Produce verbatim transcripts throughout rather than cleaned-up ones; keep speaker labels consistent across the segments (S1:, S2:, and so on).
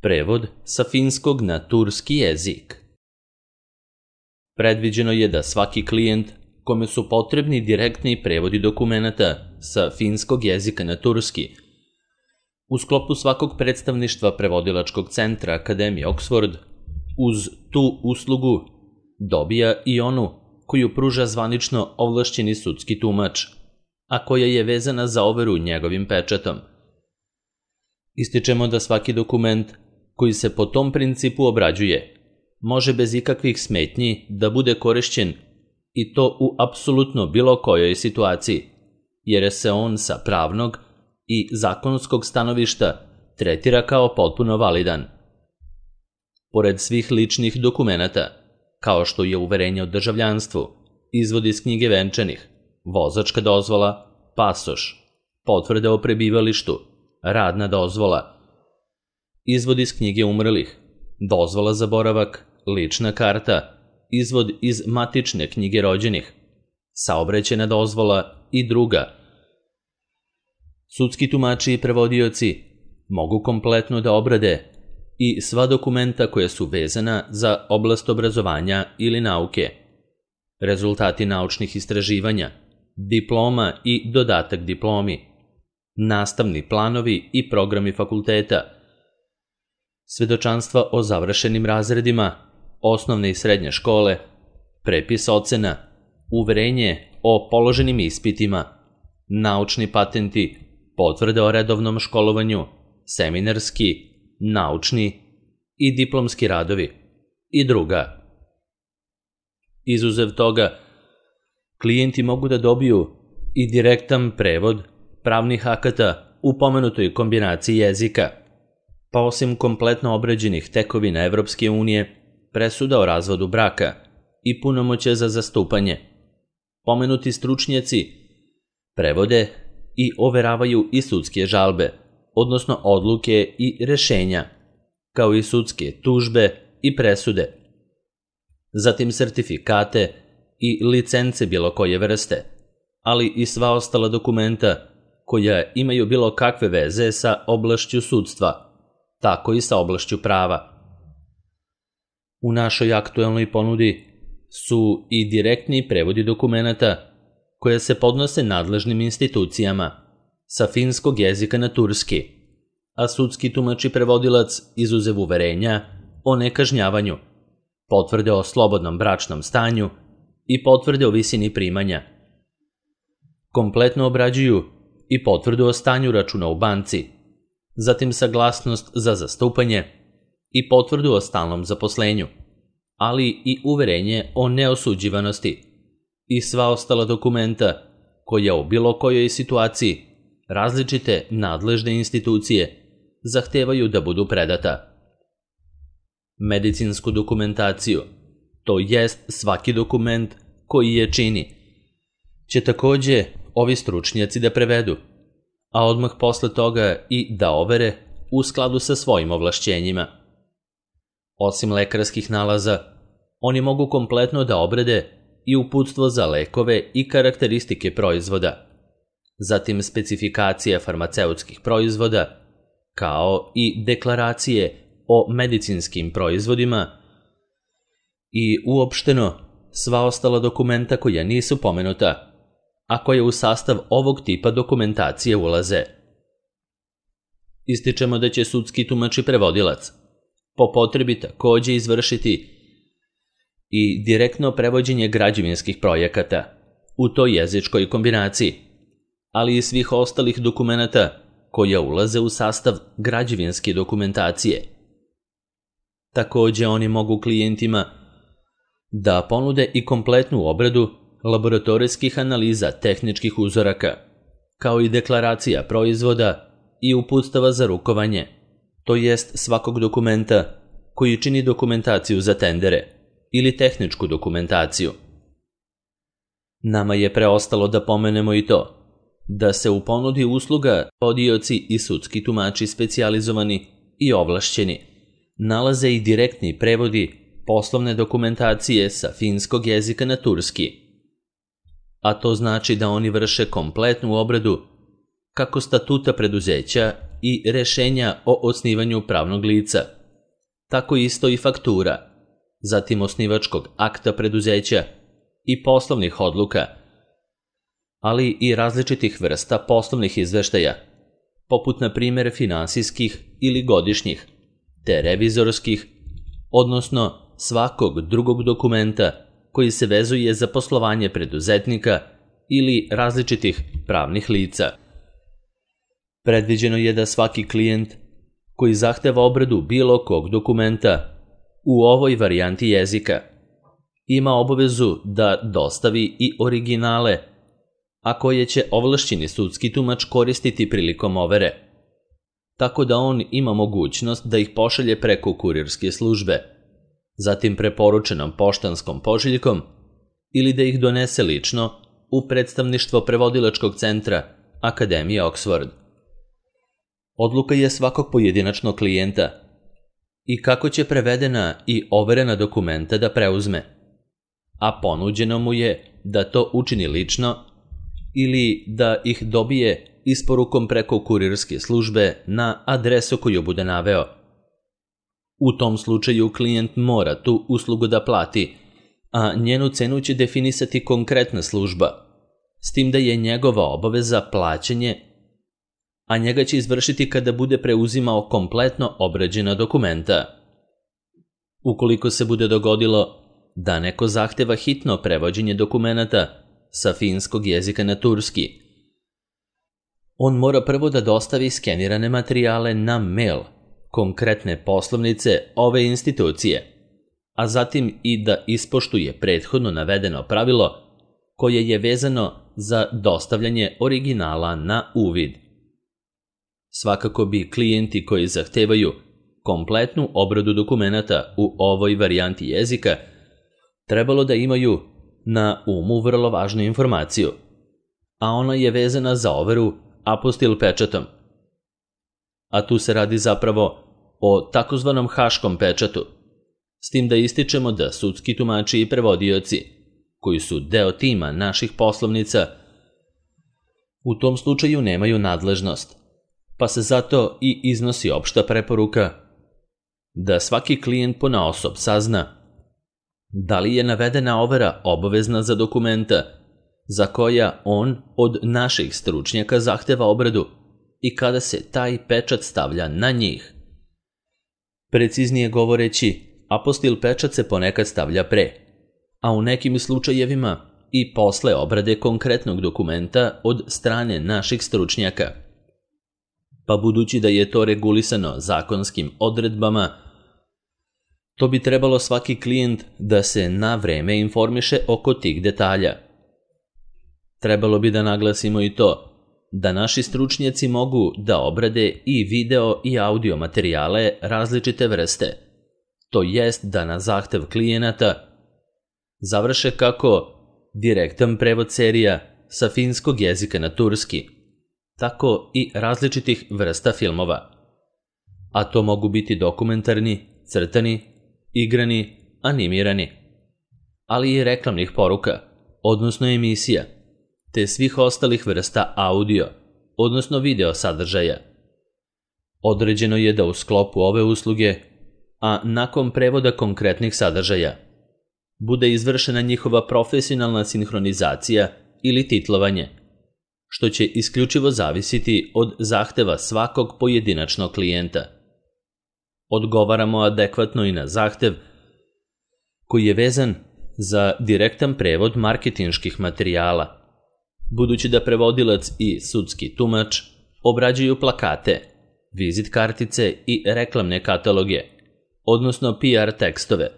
S1: Prevod sa finskog na turski jezik. Predviđeno je da svaki klijent kome su potrebni direktni prevodi dokumenata sa finskog jezika na turski u sklopu svakog predstavništva prevodilačkog centra Akademije Oxford uz tu uslugu dobija i onu koju pruža zvanično ovlašćeni sudski tumač, a koja je vezana za overu njegovim pečatom. Ističemo da svaki dokument koji se po tom principu obrađuje može bez ikakvih smetnji da bude korišćen i to u apsolutno bilo kojoj situaciji, jer se on sa pravnog i zakonskog stanovišta tretira kao potpuno validan. Pored svih ličnih dokumenata, kao što je uverenje o državljanstvu, izvod iz knjige venčanih, vozačka dozvola, pasoš, potvrde o prebivalištu, radna dozvola, izvod iz knjige umrlih, dozvola za boravak, lična karta, izvod iz matične knjige rođenih, saobraćajna dozvola i druga. Sudski tumači i prevodioci mogu kompletno da obrade i sva dokumenta koja su vezana za oblast obrazovanja ili nauke, rezultati naučnih istraživanja, diploma i dodatak diplomi, nastavni planovi i programi fakulteta, svedočanstva o završenim razredima, osnovne i srednje škole, prepis ocena, uverenje o položenim ispitima, naučni patenti, potvrde o redovnom školovanju, seminarski, naučni i diplomski radovi i druga. Izuzev toga, klijenti mogu da dobiju i direktan prevod pravnih akata u pomenutoj kombinaciji jezika, pa osim kompletno obrađenih tekovina Evropske unije, presuda o razvodu braka i punomoćje za zastupanje, pomenuti stručnjaci prevode i overavaju i sudske žalbe, odnosno odluke i rešenja, kao i sudske tužbe i presude, zatim sertifikate i licence bilo koje vrste, ali i sva ostala dokumenta koja imaju bilo kakve veze sa oblašću sudstva, tako i sa oblašću prava. U našoj aktuelnoj ponudi su i direktni prevodi dokumenata koje se podnose nadležnim institucijama sa finskog jezika na turski, a sudski tumač i prevodilac izuzev uverenja o nekažnjavanju, potvrde o slobodnom bračnom stanju i potvrde o visini primanja. Kompletno obrađuju i potvrdu o stanju računa u banci, zatim saglasnost za zastupanje i potvrdu o stalnom zaposlenju, ali i uverenje o neosuđivanosti i sva ostala dokumenta koja u bilo kojoj situaciji različite nadležne institucije zahtevaju da budu predata. Medicinsku dokumentaciju, to jest svaki dokument koji je čini, će takođe ovi stručnjaci da prevedu, a odmah posle toga i da overe u skladu sa svojim ovlašćenjima. Osim lekarskih nalaza, oni mogu kompletno da obrade i uputstvo za lekove i karakteristike proizvoda, zatim specifikacije farmaceutskih proizvoda, kao i deklaracije o medicinskim proizvodima i uopšteno sva ostala dokumenta koja nisu pomenuta, a koje u sastav ovog tipa dokumentacije ulaze. Ističemo da će sudski tumač i prevodilac po potrebi takođe izvršiti i direktno prevođenje građevinskih projekata u toj jezičkoj kombinaciji, ali i svih ostalih dokumenata koja ulaze u sastav građevinske dokumentacije. Takođe oni mogu klijentima da ponude i kompletnu obradu laboratorijskih analiza tehničkih uzoraka, kao i deklaracija proizvoda i uputstava za rukovanje, to jest svakog dokumenta koji čini dokumentaciju za tendere ili tehničku dokumentaciju. Nama je preostalo da pomenemo i to, da se u ponudi usluga prevodioci i sudski tumači specijalizovani i ovlašćeni nalaze i direktni prevodi poslovne dokumentacije sa finskog jezika na turski, a to znači da oni vrše kompletnu obradu kako statuta preduzeća i rešenja o osnivanju pravnog lica. Tako isto i faktura, zatim osnivačkog akta preduzeća i poslovnih odluka, ali i različitih vrsta poslovnih izveštaja, poput na primjer finansijskih ili godišnjih, te revizorskih, odnosno svakog drugog dokumenta koji se vezuje za poslovanje preduzetnika ili različitih pravnih lica. Predviđeno je da svaki klijent koji zahteva obradu bilo kog dokumenta u ovoj varijanti jezika ima obavezu da dostavi i originale, a koje će ovlašćeni sudski tumač koristiti prilikom overe, tako da on ima mogućnost da ih pošalje preko kurirske službe, zatim preporučenom poštanskom pošiljkom ili da ih donese lično u predstavništvo prevodilačkog centra Akademije Oxford. Odluka je svakog pojedinačnog klijenta i kako će prevedena i overena dokumenta da preuzme, a ponuđeno mu je da to učini lično ili da ih dobije isporukom preko kurirske službe na adresu koju bude naveo. U tom slučaju klijent mora tu uslugu da plati, a njenu cenu će definisati konkretna služba, s tim da je njegova obaveza plaćanje, a njega će izvršiti kada bude preuzimao kompletno obrađena dokumenta. Ukoliko se bude dogodilo da neko zahteva hitno prevođenje dokumenata sa finskog jezika na turski, on mora prvo da dostavi skenirane materijale na mail konkretne poslovnice ove institucije, a zatim i da ispoštuje prethodno navedeno pravilo koje je vezano za dostavljanje originala na uvid. Svakako bi klijenti koji zahtevaju kompletnu obradu dokumenata u ovoj varijanti jezika trebalo da imaju na umu vrlo važnu informaciju, a ona je vezana za overu apostil pečatom. A tu se radi zapravo o takozvanom haškom pečatu, s tim da ističemo da sudski tumači i prevodioci, koji su deo tima naših poslovnica, u tom slučaju nemaju nadležnost, pa se zato i iznosi opšta preporuka da svaki klijent ponaosob sazna da li je navedena overa obavezna za dokumenta za koja on od naših stručnjaka zahteva obradu i kada se taj pečat stavlja na njih. Preciznije govoreći, apostil pečat se ponekad stavlja pre, a u nekim slučajevima i posle obrade konkretnog dokumenta od strane naših stručnjaka. Pa budući da je to regulisano zakonskim odredbama, to bi trebalo svaki klijent da se na vreme informiše oko tih detalja. Trebalo bi da naglasimo i to da naši stručnjaci mogu da obrade i video i audio materijale različite vrste, to jest da na zahtev klijenata završe kako direktan prevod serija sa finskog jezika na turski, tako i različitih vrsta filmova, a to mogu biti dokumentarni, crtani, igrani, animirani, ali i reklamnih poruka, odnosno emisija, te svih ostalih vrsta audio, odnosno video sadržaja. Određeno je da u sklopu ove usluge, a nakon prevoda konkretnih sadržaja, bude izvršena njihova profesionalna sinhronizacija ili titlovanje, što će isključivo zavisiti od zahteva svakog pojedinačnog klijenta. Odgovaramo adekvatno i na zahtev koji je vezan za direktan prevod marketinških materijala, budući da prevodilac i sudski tumač obrađuju plakate, vizit kartice i reklamne kataloge, odnosno P R tekstove,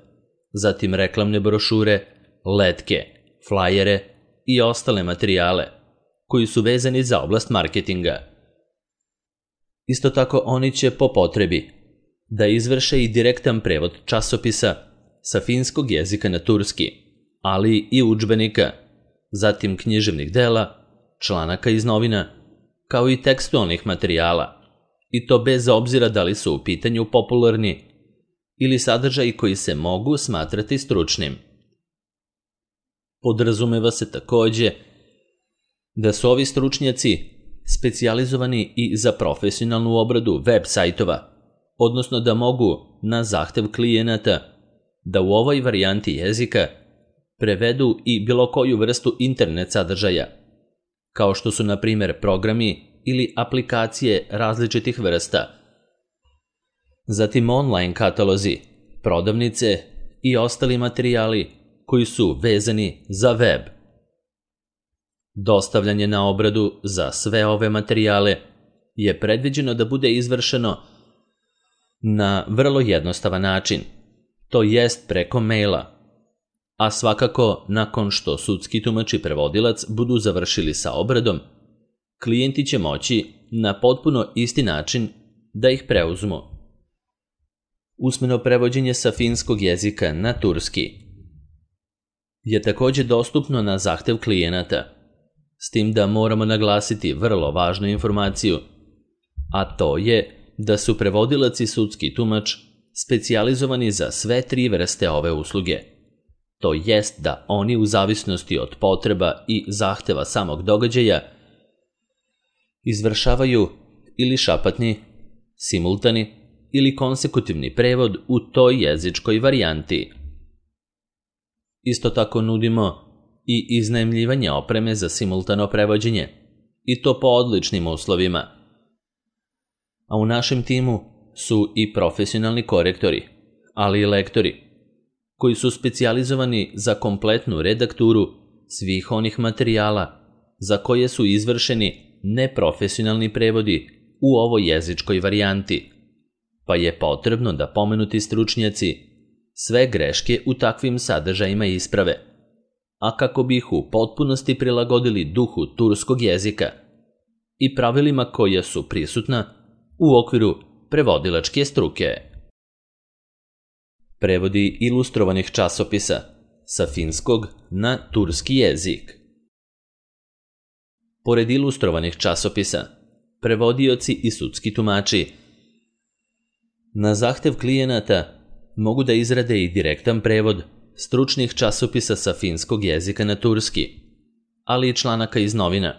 S1: zatim reklamne brošure, letke, flajere i ostale materijale koji su vezani za oblast marketinga. Isto tako oni će po potrebi da izvrše i direktan prevod časopisa sa finskog jezika na turski, ali i udžbenika, zatim književnih dela, članaka iz novina, kao i tekstualnih materijala, i to bez obzira da li su u pitanju popularni ili sadržaji koji se mogu smatrati stručnim. Podrazumeva se takođe da su ovi stručnjaci specijalizovani i za profesionalnu obradu web sajtova, odnosno da mogu, na zahtev klijenata, da u ovoj varijanti jezika prevedu i bilo koju vrstu internet sadržaja, kao što su na primjer programi ili aplikacije različitih vrsta. Zatim online katalozi, prodavnice i ostali materijali koji su vezani za web. Dostavljanje na obradu za sve ove materijale je predviđeno da bude izvršeno na vrlo jednostavan način, to jest preko maila, a svakako nakon što sudski tumač i prevodilac budu završili sa obradom, klijenti će moći na potpuno isti način da ih preuzmu. Usmeno prevođenje sa finskog jezika na turski je također dostupno na zahtev klijenata, s tim da moramo naglasiti vrlo važnu informaciju, a to je da su prevodilac i sudski tumač specijalizovani za sve tri vrste ove usluge. To jest da oni u zavisnosti od potreba i zahteva samog događaja izvršavaju ili šapatni, simultani ili konsekutivni prevod u toj jezičkoj varijanti. Isto tako nudimo i iznajmljivanje opreme za simultano prevođenje, i to po odličnim uslovima. A u našem timu su i profesionalni korektori, ali i lektori, koji su specijalizovani za kompletnu redakturu svih onih materijala za koje su izvršeni neprofesionalni prevodi u ovoj jezičkoj varijanti, pa je potrebno da pomenuti stručnjaci sve greške u takvim sadržajima isprave, a kako bi ih u potpunosti prilagodili duhu turskog jezika i pravilima koja su prisutna u okviru prevodilačke struke. Prevodi ilustrovanih časopisa sa finskog na turski jezik. Pored ilustrovanih časopisa, prevodioci i sudski tumači na zahtev klijenata mogu da izrade i direktan prevod stručnih časopisa sa finskog jezika na turski, ali i članaka iz novina.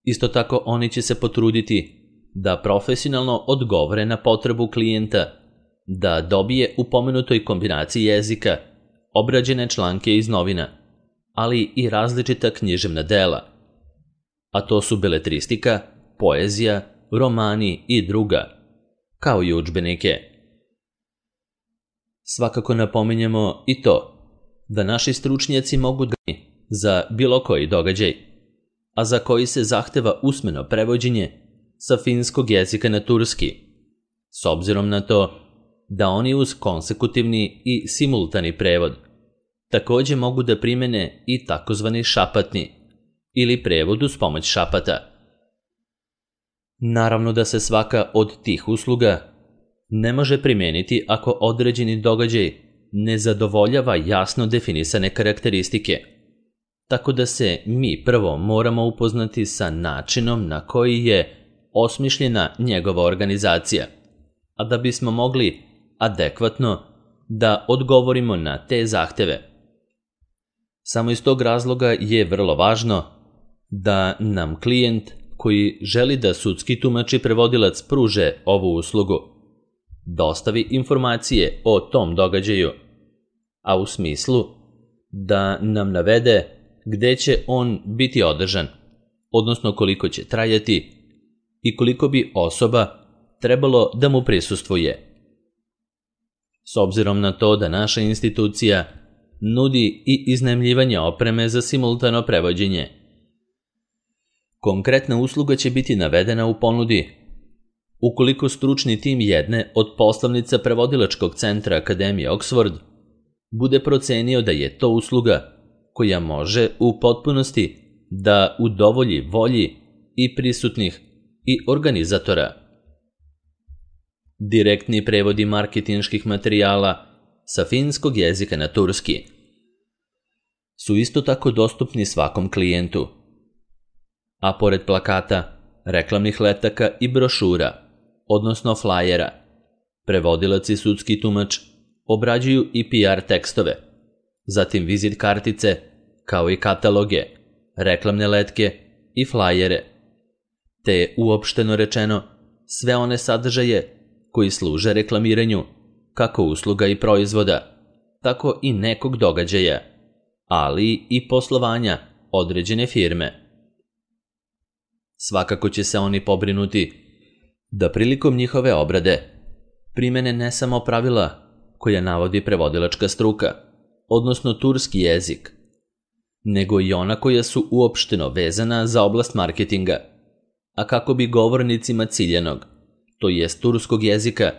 S1: Isto tako oni će se potruditi da profesionalno odgovore na potrebu klijenta da dobije u pomenutoj kombinaciji jezika obrađene članke iz novina, ali i različita književna dela, a to su beletristika, poezija, romani i druga, kao i udžbenike. Svakako napominjemo i to da naši stručnjaci mogu da za bilo koji događaj, a za koji se zahteva usmeno prevođenje sa finskog jezika na turski, s obzirom na to da oni uz konsekutivni i simultani prevod također mogu da primene i takozvani šapatni ili prevod uz pomoć šapata. Naravno da se svaka od tih usluga ne može primijeniti ako određeni događaj ne zadovoljava jasno definisane karakteristike, tako da se mi prvo moramo upoznati sa načinom na koji je osmišljena njegova organizacija, a da bismo mogli adekvatno da odgovorimo na te zahteve. Samo iz tog razloga je vrlo važno da nam klijent koji želi da sudski tumač i prevodilac pruže ovu uslugu dostavi informacije o tom događaju, a u smislu da nam navede gde će on biti održan, odnosno koliko će trajati i koliko bi osoba trebalo da mu prisustvuje. S obzirom na to da naša institucija nudi i iznajmljivanje opreme za simultano prevođenje, konkretna usluga će biti navedena u ponudi ukoliko stručni tim jedne od poslovnica prevodilačkog centra Akademije Oxford bude procenio da je to usluga koja može u potpunosti da udovolji volji i prisutnih i organizatora. Direktni prevodi marketinških materijala sa finskog jezika na turski su isto tako dostupni svakom klijentu, a pored plakata, reklamnih letaka i brošura, odnosno flajera, prevodilac i sudski tumač obrađuju i P R tekstove, zatim vizit kartice, kao i kataloge, reklamne letke i flajere, te uopšteno rečeno sve one sadržaje koji služe reklamiranju kako usluga i proizvoda, tako i nekog događaja, ali i poslovanja određene firme. Svakako će se oni pobrinuti da prilikom njihove obrade primene ne samo pravila koja navodi prevodilačka struka, odnosno turski jezik, nego i ona koja su uopšteno vezana za oblast marketinga, a kako bi govornicima ciljanog, to jest turskog jezika,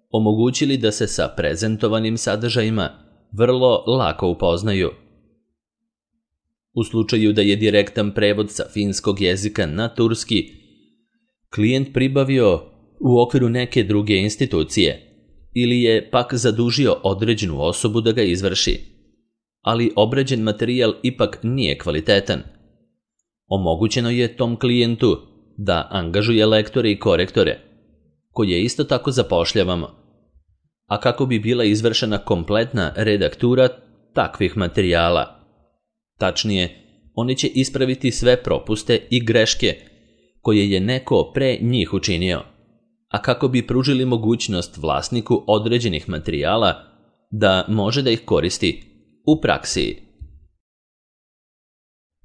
S1: omogućili da se sa prezentovanim sadržajima vrlo lako upoznaju. U slučaju da je direktan prevod sa finskog jezika na turski klijent pribavio u okviru neke druge institucije ili je pak zadužio određenu osobu da ga izvrši, ali obrađen materijal ipak nije kvalitetan, omogućeno je tom klijentu da angažuje lektore i korektore, koje isto tako zapošljavamo, a kako bi bila izvršena kompletna redaktura takvih materijala. Tačnije, oni će ispraviti sve propuste i greške koje je neko pre njih učinio, a kako bi pružili mogućnost vlasniku određenih materijala da može da ih koristi u praksi.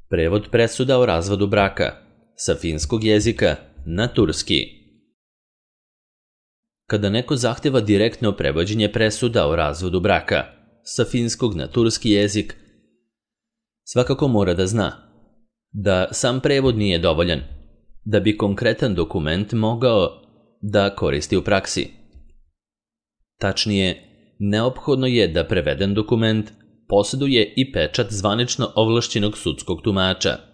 S1: Prevod presuda o razvodu braka sa finskog jezika na turski. Kada neko zahteva direktno prevođenje presuda o razvodu braka sa finskog na turski jezik, svakako mora da zna da sam prevod nije dovoljan da bi konkretan dokument mogao da koristi u praksi. Tačnije, neophodno je da preveden dokument posjeduje i pečat zvanično ovlašćenog sudskog tumača,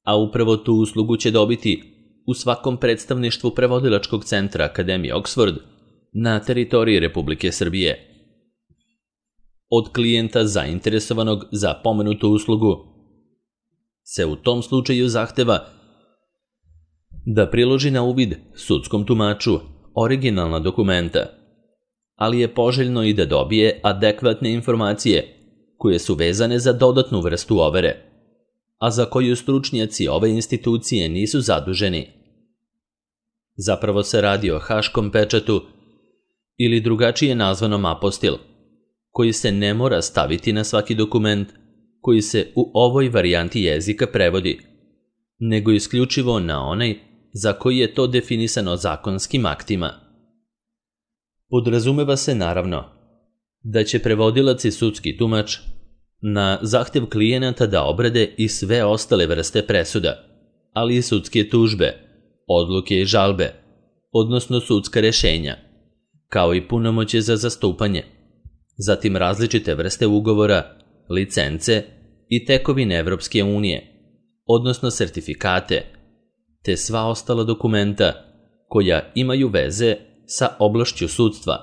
S1: a upravo tu uslugu će dobiti u svakom predstavništvu prevodilačkog centra Akademije Oxford na teritoriji Republike Srbije. Od klijenta zainteresovanog za pomenutu uslugu se u tom slučaju zahteva da priloži na uvid sudskom tumaču originalna dokumenta, ali je poželjno i da dobije adekvatne informacije koje su vezane za dodatnu vrstu overe, a za koju stručnjaci ove institucije nisu zaduženi. Zapravo se radi o haškom pečatu ili drugačije nazvanom apostil, koji se ne mora staviti na svaki dokument koji se u ovoj varijanti jezika prevodi, nego isključivo na onaj za koji je to definisano zakonskim aktima. Podrazumeva se naravno da će prevodilac i sudski tumač na zahtev klijenata da obrade i sve ostale vrste presuda, ali i sudske tužbe, odluke i žalbe, odnosno sudska rešenja, kao i punomoćje za zastupanje, zatim različite vrste ugovora, licence i tekovine Evropske unije, odnosno sertifikate, te sva ostala dokumenta koja imaju veze sa oblašću sudstva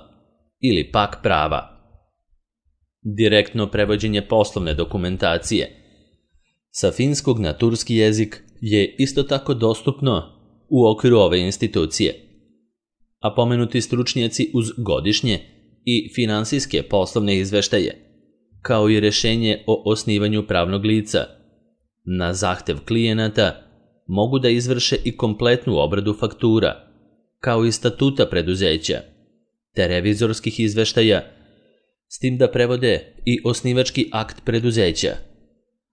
S1: ili pak prava. Direktno prevođenje poslovne dokumentacije sa finskog na turski jezik je isto tako dostupno u okviru ove institucije, a pomenuti stručnjaci uz godišnje i finansijske poslovne izveštaje, kao i rešenje o osnivanju pravnog lica, na zahtev klijenata mogu da izvrše i kompletnu obradu faktura, kao i statuta preduzeća, te revizorskih izveštaja, s tim da prevode i osnivački akt preduzeća,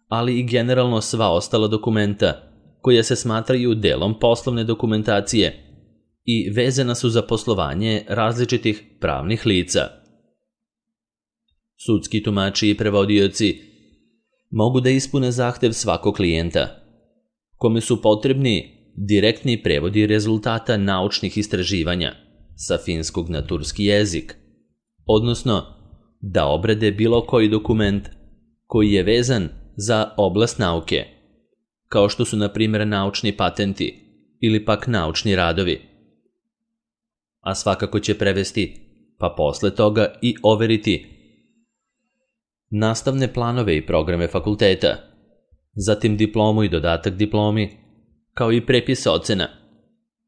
S1: ali i generalno sva ostala dokumenta koja se smatraju delom poslovne dokumentacije i vezana su za poslovanje različitih pravnih lica. Sudski tumači i prevodioci mogu da ispune zahtev svakog klijenta, kome su potrebni direktni prevodi rezultata naučnih istraživanja sa finskog na turski jezik, odnosno da obrade bilo koji dokument koji je vezan za oblast nauke, kao što su na primjer naučni patenti ili pak naučni radovi. A svakako će prevesti, pa posle toga i overiti nastavne planove i programe fakulteta, zatim diplomu i dodatak diplomi, kao i prepis ocena,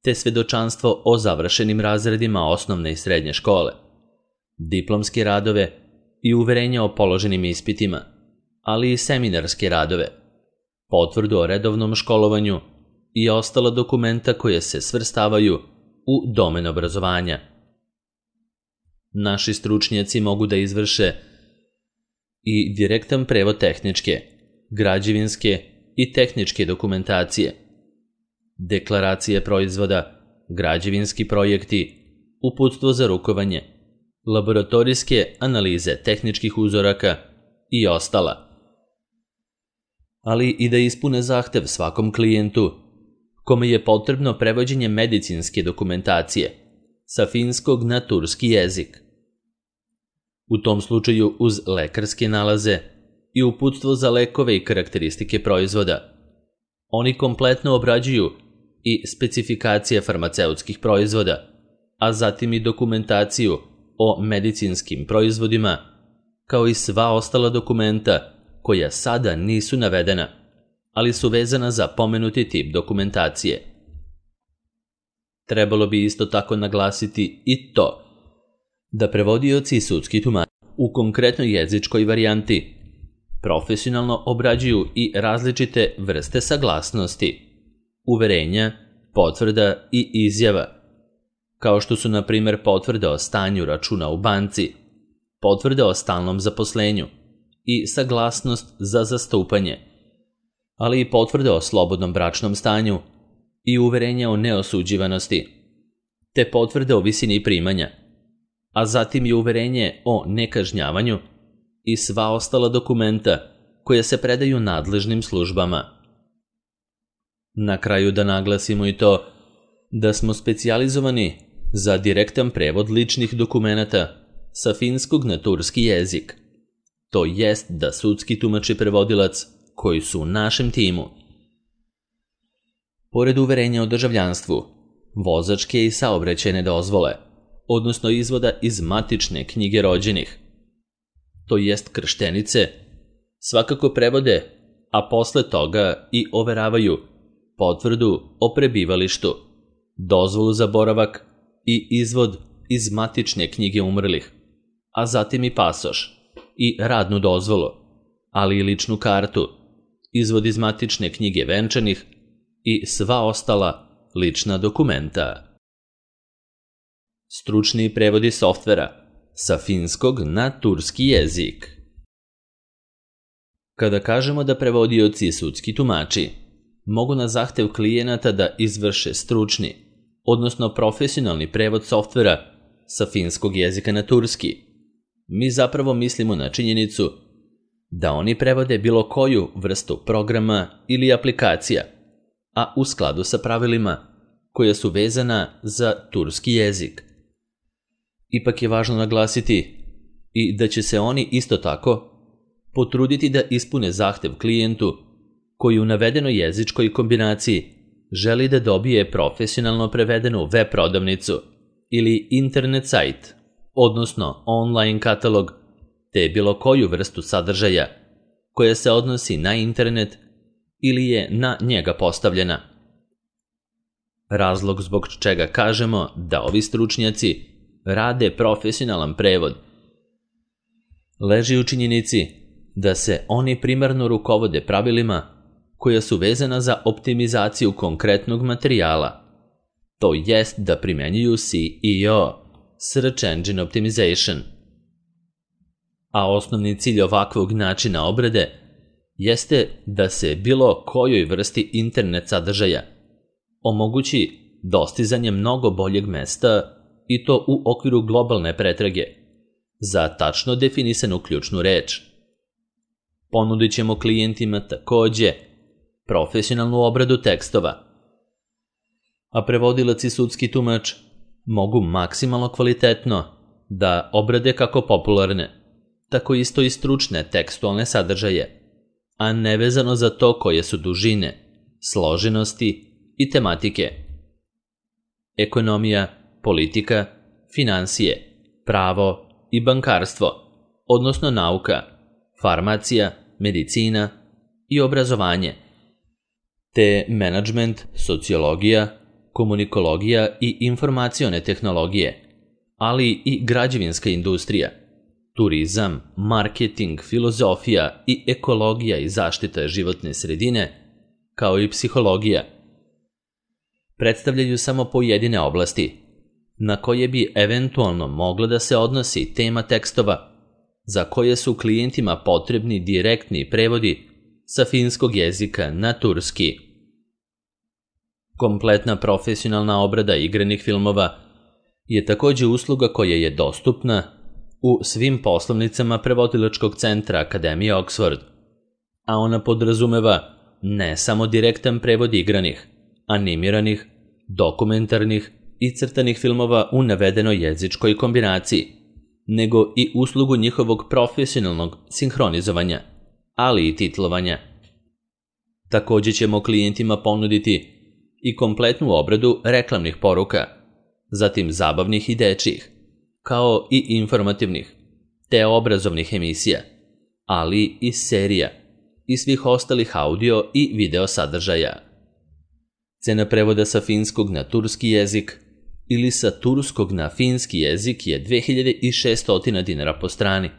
S1: te svedočanstvo o završenim razredima osnovne i srednje škole, diplomske radove i uverenja o položenim ispitima, ali i seminarske radove, potvrdu o redovnom školovanju i ostala dokumenta koje se svrstavaju u domen obrazovanja. Naši stručnjaci mogu da izvrše i direktan prevod tehničke, građevinske i tehničke dokumentacije, deklaracije proizvoda, građevinski projekti, uputstvo za rukovanje, laboratorijske analize tehničkih uzoraka i ostala. Ali i da ispune zahtev svakom klijentu kome je potrebno prevođenje medicinske dokumentacije sa finskog na turski jezik. U tom slučaju uz lekarske nalaze i uputstvo za lekove i karakteristike proizvoda. Oni kompletno obrađuju i specifikacije farmaceutskih proizvoda, a zatim i dokumentaciju o medicinskim proizvodima, kao i sva ostala dokumenta koja sada nisu navedena, ali su vezana za pomenuti tip dokumentacije. Trebalo bi isto tako naglasiti i to da prevodioci i sudski tumači u konkretnoj jezičkoj varijanti profesionalno obrađuju i različite vrste saglasnosti, uverenja, potvrda i izjava, kao što su na primjer potvrde o stanju računa u banci, potvrde o stalnom zaposlenju i saglasnost za zastupanje, ali i potvrde o slobodnom bračnom stanju i uverenja o neosuđivanosti, te potvrde o visini primanja, a zatim i uverenje o nekažnjavanju i sva ostala dokumenta koje se predaju nadležnim službama. Na kraju da naglasimo i to da smo specijalizovani za direktan prevod ličnih dokumenata sa finskog na turski jezik. To jest da sudski tumač i prevodilac koji su u našem timu, pored uverenja o državljanstvu, vozačke i saobraćajne dozvole, odnosno izvoda iz matične knjige rođenih, to jest krštenice, svakako prevode, a posle toga i overavaju potvrdu o prebivalištu, dozvolu za boravak i izvod iz matične knjige umrlih, a zatim i pasoš i radnu dozvolu, ali i ličnu kartu, izvod iz matične knjige venčanih i sva ostala lična dokumenta. Stručni prevodi softvera sa finskog na turski jezik. Kada kažemo da prevodioci i sudski tumači mogu na zahtev klijenata da izvrše stručni, odnosno profesionalni prevod softvera sa finskog jezika na turski, mi zapravo mislimo na činjenicu da oni prevode bilo koju vrstu programa ili aplikacija, a u skladu sa pravilima koja su vezana za turski jezik. Ipak je važno naglasiti i da će se oni isto tako potruditi da ispune zahtev klijentu koji u navedenoj jezičkoj kombinaciji želi da dobije profesionalno prevedenu web prodavnicu ili internet sajt, odnosno online katalog, te bilo koju vrstu sadržaja koja se odnosi na internet ili je na njega postavljena. Razlog zbog čega kažemo da ovi stručnjaci rade profesionalan prevod leži u činjenici da se oni primarno rukovode pravilima koja su vezana za optimizaciju konkretnog materijala, to jest da primenjuju S E O, Search Engine Optimization. A osnovni cilj ovakvog načina obrade jeste da se bilo kojoj vrsti internet sadržaja omogući dostizanje mnogo boljeg mesta i to u okviru globalne pretrage za tačno definisanu ključnu reč. Ponudit ćemo klijentima takođe profesionalnu obradu tekstova, a prevodilac i sudski tumač mogu maksimalno kvalitetno da obrade kako popularne, tako isto i stručne tekstualne sadržaje, a nevezano za to koje su dužine, složenosti i tematike. Ekonomija, politika, finansije, pravo i bankarstvo, odnosno nauka, farmacija, medicina i obrazovanje, te menadžment, sociologija, komunikologija i informacione tehnologije, ali i građevinska industrija, turizam, marketing, filozofija i ekologija i zaštita životne sredine, kao i psihologija, predstavljaju samo pojedine oblasti, na koje bi eventualno mogla da se odnosi tema tekstova, za koje su klijentima potrebni direktni prevodi sa finskog jezika na turski. Kompletna profesionalna obrada igranih filmova je također usluga koja je dostupna u svim poslovnicama prevodilačkog centra Akademije Oxford, a ona podrazumeva ne samo direktan prevod igranih, animiranih, dokumentarnih i crtanih filmova u navedenoj jezičkoj kombinaciji, nego i uslugu njihovog profesionalnog sinhronizovanja, ali i titlovanja. Također ćemo klijentima ponuditi i kompletnu obradu reklamnih poruka, zatim zabavnih i dečjih, kao i informativnih, te obrazovnih emisija, ali i serija i svih ostalih audio i video sadržaja. Cena prevoda sa finskog na turski jezik ili sa turskog na finski jezik je dve hiljade šesto dinara po strani.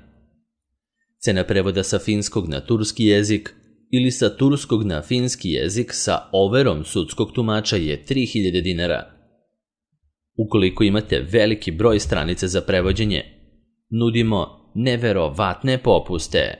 S1: Cena prevoda sa finskog na turski jezik ili sa turskog na finski jezik sa overom sudskog tumača je tri hiljade dinara. Ukoliko imate veliki broj stranica za prevođenje, nudimo neverovatne popuste.